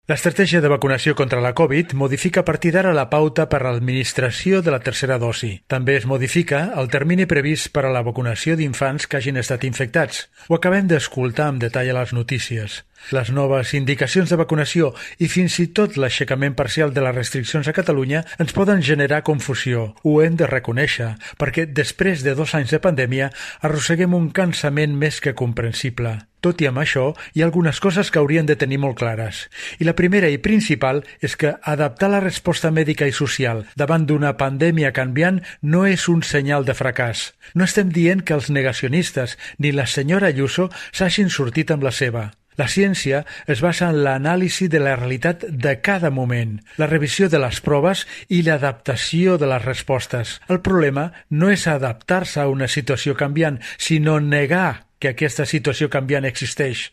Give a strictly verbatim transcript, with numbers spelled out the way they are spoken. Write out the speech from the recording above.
L'estratègia de vacunació contra la Covid modifica a partir d'ara la pauta per a l'administració de la tercera dosi. També es modifica el termini previst per a la vacunació d'infants que hagin estat infectats. Ho acabem d'escoltar amb detall a les notícies. Les noves indicacions de vacunació i fins i tot l'aixecament parcial de les restriccions a Catalunya ens poden generar confusió. Ho hem de reconèixer, perquè després de dos anys de pandèmia arrosseguem un cansament més que comprensible. Tot i amb això, hi ha algunes coses que haurien de tenir molt clares. I la primera i principal és que adaptar la resposta mèdica i social davant d'una pandèmia canviant no és un senyal de fracàs. No estem dient que els negacionistes ni la senyora Ayuso s'hagin sortit amb la seva. La ciència es basa en l'anàlisi de la realitat de cada moment, la revisió de les proves i l'adaptació de les respostes. El problema no és adaptar-se a una situació canviant, sinó negar que aquesta situació canviant existeix.